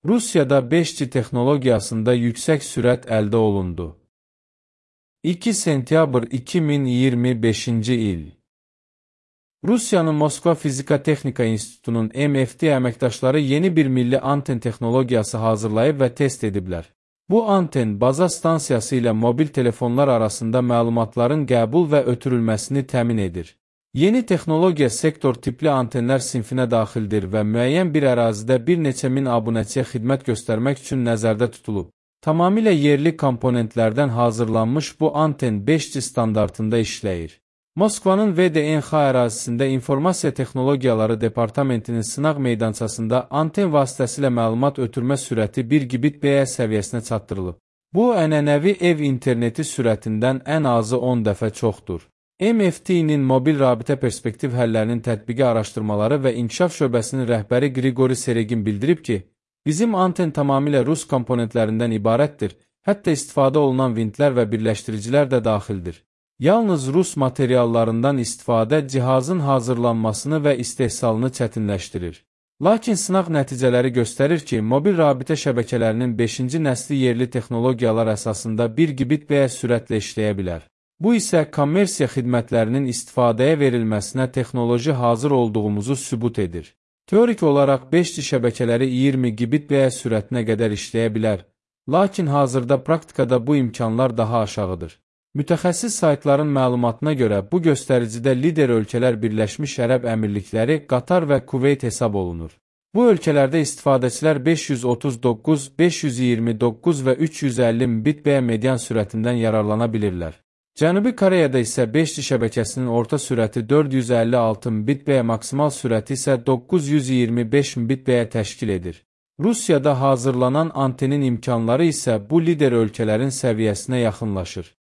Rusiyada 5G texnologiyasında yüksək sürət əldə olundu. 2 sentyabr 2025-ci il. Rusiyanın Moskva Fizika Texnika İnstitutunun MFT əməkdaşları yeni bir milli anten texnologiyası hazırlayıb və test ediblər. Bu anten baza stansiyası ilə mobil telefonlar arasında məlumatların qəbul və ötürülməsini təmin edir. Yeni texnologiya sektor tipli antenlər sinfinə daxildir və müəyyən bir ərazidə bir neçə min abunəçiyə xidmət göstərmək üçün nəzərdə tutulub. Tamamilə yerli komponentlərdən hazırlanmış bu anten 5G standartında işləyir. Moskvanın VDNX ərazisində İnformasiya Texnologiyaları Departamentinin sınaq meydançasında anten vasitəsilə məlumat ötürmə sürəti 1 Gbps səviyyəsinə çatdırılıb. Bu, ənənəvi ev interneti sürətindən ən azı 10 dəfə çoxdur. MFT-nin mobil rabitə perspektiv həllərinin tətbiqi araşdırmaları və inkişaf şöbəsinin rəhbəri Grigori Seregin bildirib ki, bizim anten tamamilə Rus komponentlərindən ibarətdir, hətta istifadə olunan vintlər və birləşdiricilər də daxildir. Yalnız Rus materiallarından istifadə cihazın hazırlanmasını və istehsalını çətinləşdirir. Lakin sınaq nəticələri göstərir ki, mobil rabitə şəbəkələrinin 5-ci nəsli yerli texnologiyalar əsasında 1 Gbps sürətlə işləyə bilər. Bu isə kommersiya xidmətlərinin istifadəyə verilməsinə texnoloji hazır olduğumuzu sübut edir. Teorik olaraq 5G şəbəkələri 20 Gbps sürətinə qədər işləyə bilər, lakin hazırda praktikada bu imkanlar daha aşağıdır. Mütəxəssis saytların məlumatına görə bu göstəricidə lider ölkələr Birləşmiş Ərəb Əmirlikləri, Qatar və Kuveyt hesab olunur. Bu ölkələrdə istifadəçilər 539, 529 və 350 Mbit/s median sürətindən yararlana bilirlər. Cənubi Koreyada isə 5G şəbəkəsinin orta sürəti 456 Mbit/s, maksimal sürəti isə 925 Mbit/s təşkil edir. Rusiyada hazırlanan antenin imkanları isə bu lider ölkələrin səviyyəsinə yaxınlaşır.